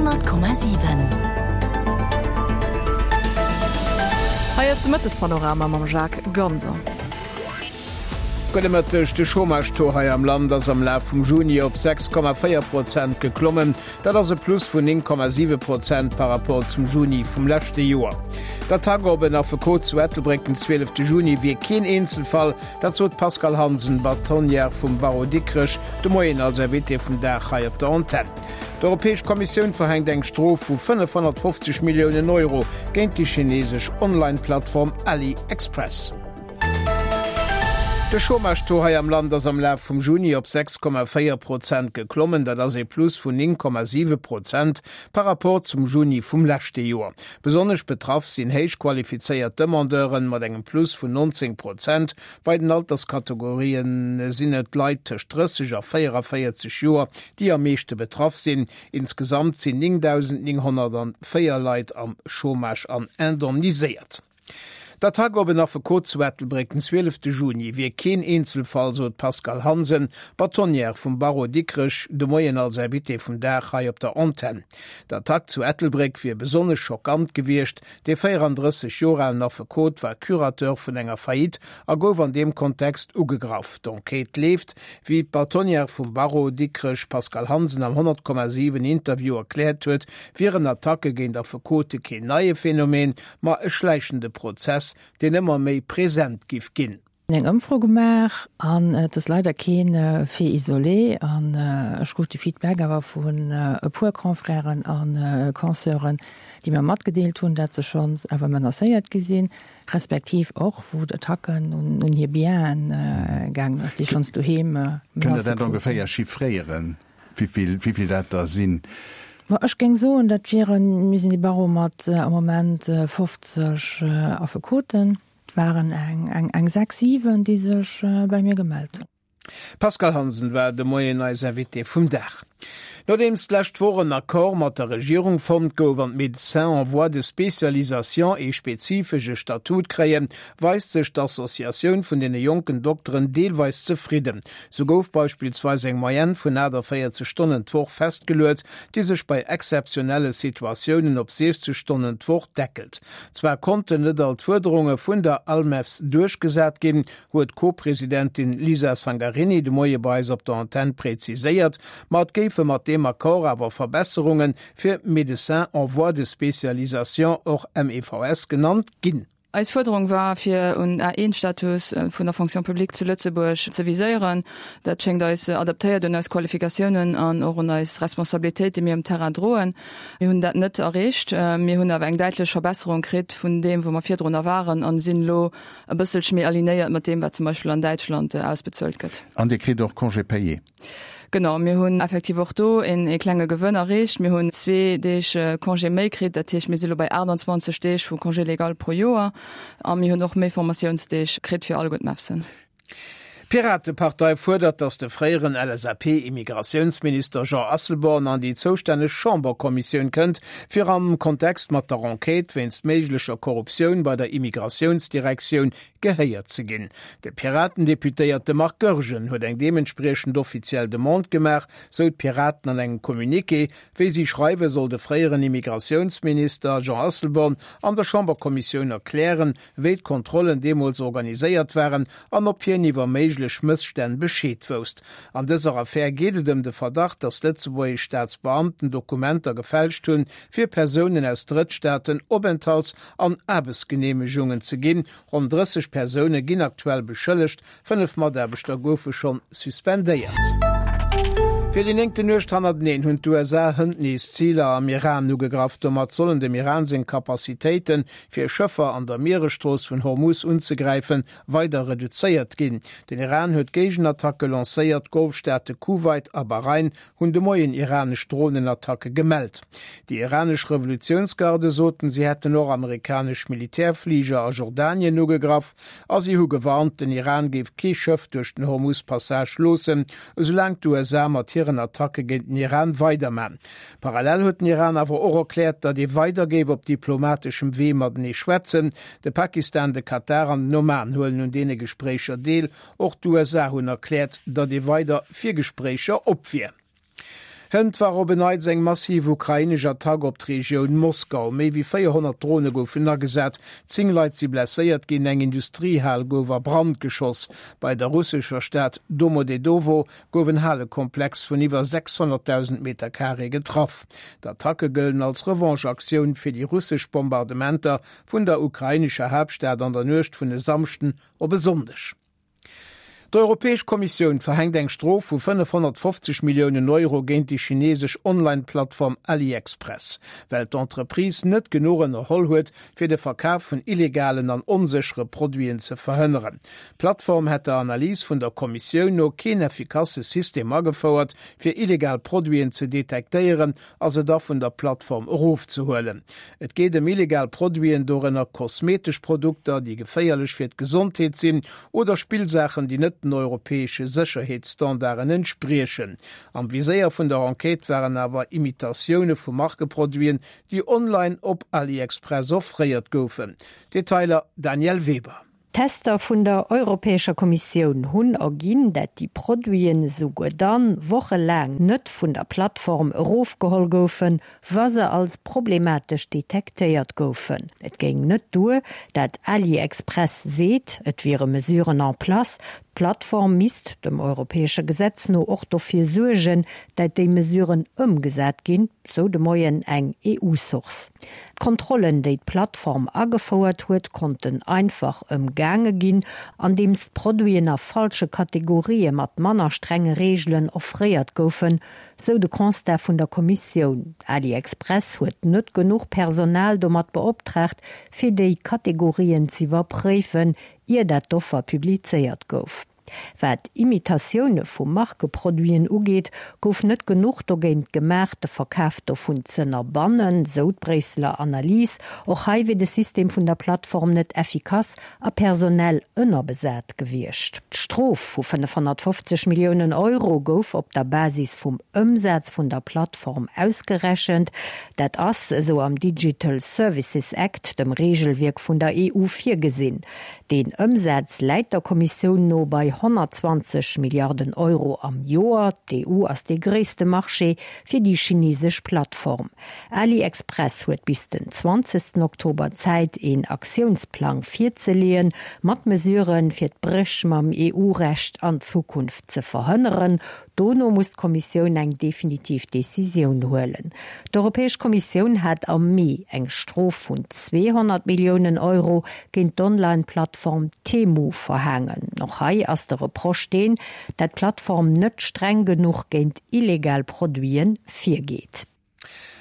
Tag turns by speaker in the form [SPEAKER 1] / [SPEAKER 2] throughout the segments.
[SPEAKER 1] 100,7.
[SPEAKER 2] Hei ass de Mëttespanorama mam Jacques Ganser.
[SPEAKER 3] Gudde Mëtteg, De Chômage-Taux hei am Land ass am Laf vum Juni op 6,4 Prozent geklommen. Dat ass e Plus vun 9,7 Prozent par Rapport zum Juni vum leschte Joer. D'Attack op en Affekot zu Ettelbréck den 12 Juni wier keen Eenzelfall, Dat sot d'Pascale Hansen, Bâtonnière vum Barreau Dikrech, de Moien als Invitée vum Dag hei op der Antenn. D'Europäesch Kommissioun verhänkt eng Strof vu 550 Milliounen Euro géint déi chinesesch Online-Plattform AliExpress. De Chômage-Taux hei am Land ass am Laf vum Juni op 6,4 Prozent geklommen. Dat ass ee Plus vun 9,7 Prozent par Rapport zum Juni vum leschte Joer. Besonnesch betraff sinn héich qualifizéiert Demandeuren mat engem Plus vun 19 Prozent. Bei den Alterskategorien sinn et Leit tëscht 30 a 44 Joer, déi am meeschte betraff sinn. Insgesamt sinn 9.904 Leit am Chômage an indemniséiert. D'Attack op en Affekot zu Ettelbréck den 12 Juni wier keen Eenzelfall, sot d'Pascale Hansen, Bâtonnière vum Barreau Dikrech, de Moien als Invitée vum Dag hei op der Antenn. D'Attack zu Ettelbréck wier besonnesch schockant gewiescht. Dee 34 Joer alen Affekot war Curateur vun enger Faillite a gouf an deem Kontext ugegraff. D'Enquête leeft, wéi d'Bâtonnière vum Barreau Dikrech Pascale Hansen am 100,7 Interview erkläert huet, wieren Attacke géint Affekote keen neie Phänomen, ma e schläichende Prozess, deen ëmmer méi present giff ginn.
[SPEAKER 4] Eng Ëmfro gemaach an et ass leider keen Fait isolé an ech krut de Feedback awer vun e puer Confrèren a Consœuren, déi mer matgedeelt hunn, dat se schonns awer menacéiert gi sinn, respektiv och wou d'Attacken un hir Bienen gaangen ass, déi schonns doheem
[SPEAKER 5] Kënnt Der
[SPEAKER 4] Menacë
[SPEAKER 5] dat
[SPEAKER 4] kruten.
[SPEAKER 5] ongeféier chiffréieren? Wéivill, wéivill dat der sinn?
[SPEAKER 4] Ma ech géing soen, dat wieren, mir sinn e Barreau mat am Moment 50 Affekoten, et waren eng, eng, eng 6, 7, déi sech bei mir gemellt hunn.
[SPEAKER 3] D'Pascale Hansen war de Moien eis Invitée vum Dag. Nodeems d'lescht Woch en Accord mat der Regierung fonnt gouf an d'Médecins en voie de spécialisation ee spezifesche Statut kréien, weist sech d'Associatioun vun deene jonken Dokteren deelweis zefridden. Sou gouf beispillsweis eng Moyenne vun 48 Stonnen d'Woch festgeluet, déi sech bei exzeptionelle Situatiounen op 60 Stonnen d'Woch deckelt. Zwar konnten net all d'Fuerderunge vun der ALMEFS duerchgesat ginn, huet d'Co-Presidentin Lisa Sangarini de Moie bei eis op der Antenn präziséiert, ma et géife mat deem Accord awer Verbesserunge fir Médecins en voie de spécialisation, och MEVS genannt, ginn.
[SPEAKER 2] Eis Fuerderung war, fir un A1-Status vun der Fonction publique zu Lëtzebuerg ze viséieren. Dat schéngt eis adaptéiert un eis Qualifikatiounen an och un eis Responsabilitéit, déi mir um Terrain droen. Mir hunn dat net erreecht. Mir hunn awer eng däitlech Verbesserung kritt vun deem, wou mer virdrunner waren a sinn elo e bësselche méi alignéiert mat deem, wat zum Beispill an Däitschland ausbezuelt gëtt.
[SPEAKER 5] An Dir kritt och Congé payé?
[SPEAKER 2] Genau, mir hunn effektiv och do een ee klenge Gewënn erreecht. Mir hunn zwee Deeg Congé méi kritt, dat heescht mir si lo bei 28 Deeg vu Congé légal pro Joer a mir hunn och méi Formatiounsdeeg kritt fir alleguer d'MEFSen.
[SPEAKER 3] D'Piratepartei fuerdert, datt de fréieren LSAP-Immigratiounsminister Jean Asselborn an déi zoustänneg Chamberkommissioun kënnt, fir am Kontext mat der Enquête wéinst méiglecher Korruptioun bei der Immigratiounsdirektioun gehéiert ze ginn. De Piraten-Deputéierte Marc Goergen huet eng deementspriechend offiziell Demande gemaach, sou d'Piraten an engem Communiqué. Wéi si schreiwen, soll de fréieren Immigratiounsminister Jean Asselborn an der Chamberkommissioun erklären, wéi d'Kontrollen deemools organiséiert waren an ob hien iwwer méiglech Mësstänn Bescheed wousst. An dëser Affär geet et ëm de Verdacht, datt lëtzebuergesch Staatsbeamten Dokumenter gefälscht hunn, fir Persounen aus Drëttstaaten Openthalts an Aarbechtsgeneemegungen ze ginn. Ronn 30 Persoune ginn aktuell beschëllegt, 5 Mataarbechter goufe schonn suspendéiert. Fir déi néngten Nuecht hannerteneen hunn d'USA hënt nees Ziler am Iran ugegraff. Domat sollen dem Iran seng Capacitéiten, fir Schëffer an der Mieresstrooss vun Hormus unzegräifen, weider reduzéiert ginn. Den Iran huet Géigenattacke lancéiert. D'Golfstaate Kuwait a Bahrain hunn de Moien iranesch Dronenattacke gemellt. Déi iranesch Revolutiounsgarde soten, si hätten och amerikanesch Militärfliger a Jordanien ugegraff a si hu gewarnt, den Iran géif kee Schëff duerch den Hormus-Passage loossen, esoulaang d'USA mat hiren Attacke géint den Iran weiderman. Parallel huet den Iran awer och erkläert, datt ee weider géif op diplomateschem Wee matenee schwätzen. De Pakistan, de Katar an den Oman huelen un deene Gespréicher deel. Och d'USA hunn erkläert, datt ee weider fir Gespréicher op wier. Hënt war op en Neits eng massiv ukrainesch Attack op d'Regioun Moskau. Méi wéi 400 Drone goufen agesat, 10 Leit si blesséiert ginn, eng Industriehal gouf a Brand geschoss. Bei der russescher Stad Domodedowo gouf en Halekomplex vun iwwer 600.000 Meter Carré getraff. D'Attacke gëllen als Revanche-Aktioun fir déi russesch Bombardementer vun der ukrainescher Haaptstad an der Nuecht vun e Samschden op e Sonndeg. D'Europäesch Kommissioun verhänkt eng Strof vu 550 Milliounen Euro géint déi chineesesch Online-Plattform AliExpress, well d'Entreprise net genuch ënnerholl huet, fir de Verkaf vun illegalen an onséchere Produiten ze verhënneren. D'Plattform hätt der Analys vun der Kommissioun no keen effikasse System agefouert, fir illegal Produiten ze detektéieren a se da vun der Plattform erofzehuelen. Et geet ëm illegal Produiten, dorënner kosmetesch Produkter, déi geféierlech fir d'Gesondheet sinn, oder Spillsaachen, déi net den europäesche Sécherheetsstandarden entspriechen. Am Viséier vun der Enquête waren awer Imitatioune vu Markeproduiten, déi online op AliExpress offréiert goufen. Detailer Danièle Weber.
[SPEAKER 1] Tester vun der Europäescher Kommissioun hunn erginn, dat déi Produiten esouguer dann wochelaang net vun der Plattform erofgeholl goufen, wa se als problematesch detektéiert goufen. Et géing net duer, dat AliExpress seet, et wiere Mesuren en place. D'Plattform misst dem europäesche Gesetz no och dofir suergen, dat déi Mesuren ëmgesat ginn, sou de Moien eng EU-Source. D'Kontrollen, déi d'Plattform agefouert huet, konnten einfach ëmgaange ginn, andeems d'Produiten a falsche Kategorië mat manner strenge Reegelen offréiert goufen, sou de Constat vun der Kommissioun. AliExpress huet net genuch Personal domat beoptraagt, fir déi Kategorien z'iwwerpréifen, ier dat d'Offer publizéiert gouf. Wat Imitatioune vu Markeproduiten ugeet, gouf net genuch dogéint gemaach, de Verkaf dovun z'ënnerbannen, sou d'Bréisseler Analys. Och hei wier de System vun der Plattform net effikass a personell ënnerbesat gewiescht. D'Strof vu 550 Milliounen Euro gouf op der Basis vum Ëmsaz vun der Plattform ausgerechent. Dat ass esou am Digital Services Act, dem Reegelwierk vun der EU, virgesinn. Deen Ëmsaz läit der Kommissioun no bei 120 Milliarden Euro am Joer. D'EU ass dee gréisste Marché fir déi chinesesch Plattform. AliExpress huet bis den 20 Oktober Zäit, een Aktiounsplang virzeleeën, mat Mesuren, fir d'Bréch mam EU-Recht an Zukunft ze verhënneren. Dono muss d'Kommissioun eng definitiv Decisioun huelen. D'Europäesch Kommissioun hat am Mee eng Strof vun 200 Milliounen Euro géint d'Online-Plattform Temu verhaangen. Och hei ass de Reproche deen, dat d'Plattform net streng genuch géint illegal Produite virgeet.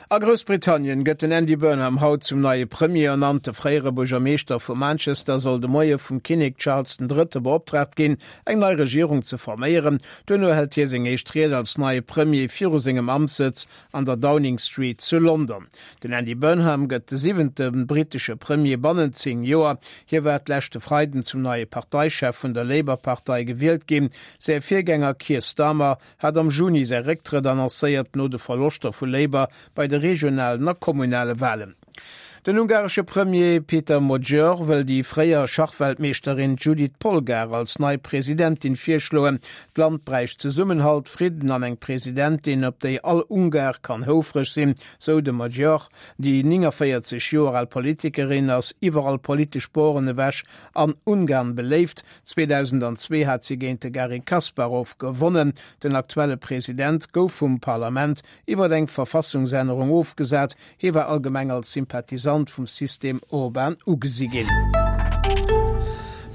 [SPEAKER 3] A Groussbritannien gëtt den Andy Burnham haut zum neie Premier ernannt. De fréiere Buergermeeschter vu Manchester soll de Moie vum Kinnek Charles den Drëtte beoptraagt ginn, eng nei Regierung ze forméieren. Duerno hält hie seng éischt Ried als neie Premier viru sengem Amtssëtz an der Downing Street zu London. Den Andy Burnham gëtt de siwente brittesche Premier bannent 10 Joer. Hie war d'leschte Freiden zum neie Parteichef vun der Labour-Partei gewielt ginn. Säi Virgänger Keir Starmer hat am Juni säi Récktrëtt annoncéiert, no de Verloschter vu Labour bei de regionalen a kommunale Walen. Den ungaresche Premier Peter Magyar wëll déi fréier Schachweltmeeschterin Judit Polgar als nei Presidentin virschloen. D'Land bräicht Zesummenhalt, Fridden an eng Presidentin, op déi all Ungar kann houfreg sinn, sou de Magyar. Déi 49 Joer al Politikerin ass iwwer all politesch Boren ewech an Ungarn beléift. 2002 hat si géint de Garry Kasparov gewonnen. Den aktuelle President gouf vum Parlament iwwer eng Verfassungsännerung ofgesat. Hie war allgemeng als Sympathisant vum System Orban ugesi ginn.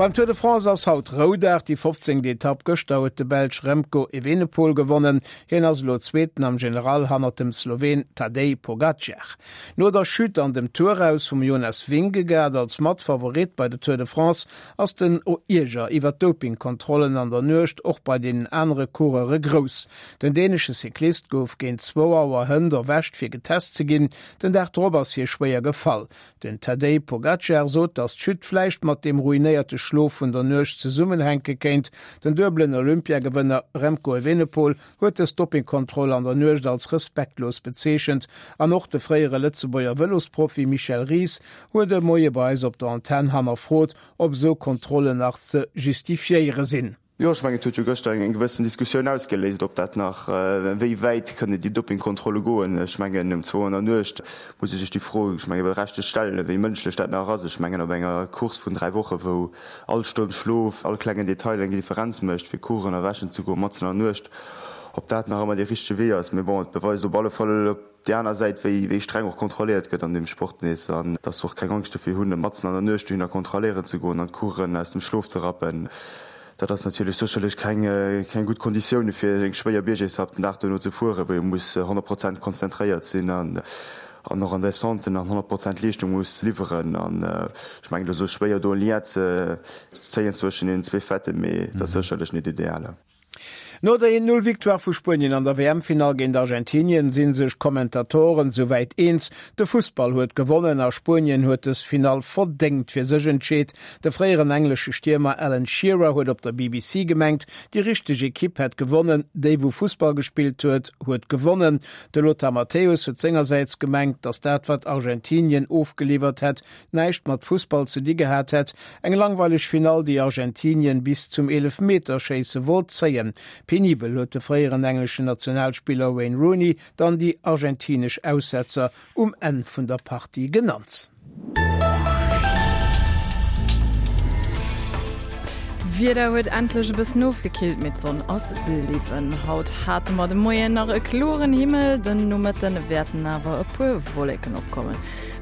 [SPEAKER 3] Beim Tour de France ass haut Roudag, déi 15. Etapp. Gëschter huet de Belsch Remco Evenepoel gewonnen. Hien ass elo Zweeten am General hannert dem Sloween Tadej Pogacar. No der Chute an dem Tour-Aus vum Jonas Vingegaard als Matfavorit bei der Tour de France ass den Ierger iwwer d'Dopingkontrollen an der Nuecht och bei deenen anere Coureure grouss. Den dänesche Cyclist gouf géint zwou Auer hënt erwächt fir getest ze ginn. Den Dag drop ass hie schwéier gefall. Den Tadej Pogacar sot, datt d'Chute vläicht mat deem ruinéierte Schlof vun der Nuecht zesummenhänke kéint. Den duebelen Olympiagewënner Remco Evenepoel huet dës Doppingkontroll an der Nuecht als respektlos bezeechent. An och de fréiere Lëtzebuerger Vëlosprofi Michel Ries huet e Moie bei eis op der Antenn hannerfrot, ob esou Kontrollen nach ze justifiéiere sinn.
[SPEAKER 6] Jo, ech mengen, et huet jo gëschter eng gewëssen Diskussioun ausgeléist, ob dat nach, wéi wäit kënne déi Dopingkontrolle goen. Ech mengen, um zwou an der Nuecht muss ee sech déi Fro, ech menge berechtegt stellen, wéi mënschlech dat nach ass. Ech mengen, op enger Course vun 3 Woche wou all Stonn Schlof, all klengen Detail eng Differenz mécht, fir kuchen erwächen ze goen matzen an der Nuecht, ob dat nach ëmmer dee richtege Wee ass. Mee bon, et beweist op alle Fall op déi aner Säit, wéi wéi streng och kontrolléiert gëtt an deem Sport nees an dass se och keng Angscht dofir hunn, matzen an der Nuecht dohinner kontrolléieren ze goen an d'Coureuren aus dem Schlof ze rappen. Dat ass natierlech sécherlech keng keng gutt Konditioune fir eng schwéier Biergetapp den Dag duerno ze fueren, wou ee muss 100 Prozent konzentréiert sinn an an och an Descenten an 100 Prozent Leeschtung muss liwweren. An ech mengen, et ass elo schwéier do e Lien ze zéien zwëschen deenen zwee Faiten, mee et ass sécherlech net ideal.
[SPEAKER 3] No der 1, 0 Victoire vu Spuenien an der WM-Finall géint Argentinien si sech d'Kommentatoren souwäit eens, de Fussball huet gewonnen a Spuenien huet dës Finall verdéngt fir sech entscheet. De fréieren englesche Stiermer Alan Shearer huet op der BBC gemengt, déi richteg Ekipp hätt gewonnen, déi wou Fussball gespillt huet, huet gewonnen. De Lothar Matthäus huet sengersäits gemengt, datt dat wat Argentinien ofgeliwwert hätt, näischt mat Fussball ze di gehat hätt. Eng langweileg Finall, déi Argentinien bis zum Eelefmeterschéisse wollt zéien. Penibel huet de fréieren engleschen Nationalspiller Wayne Rooney dann déi argentinesch Aussetzer um Enn vun der Partie genannt.
[SPEAKER 2] D'Wieder huet endlech e bëssen ofgekillt, mee d'Sonn ass bliwwen. Haut hate mer de Moien nach e kloren Himmel, den Nomëtte wäerten awer e puer Wolleken opkommen.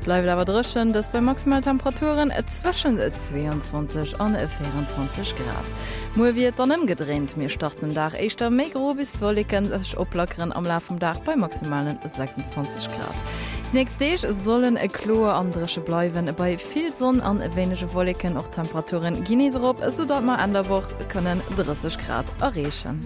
[SPEAKER 2] Bleift awer dréchen, dëst bei maximal Temperaturen zwëschen 22 an 24 Grad. Muer wier et dann ëmgedréint, mir starten den Dag éischter méi gro, bis d'Wolleken sech oplackeren am Laf vum Dag bei maximalen 26 Grad. Déi nächst Deeg sollen kloer an dréche bleiwen, bei vill Sonn an wéinege Wolleken. Och d'Temperaturen ginn nees erop, esou datt mer Enn der Woch kënnen 30 Grad erreechen.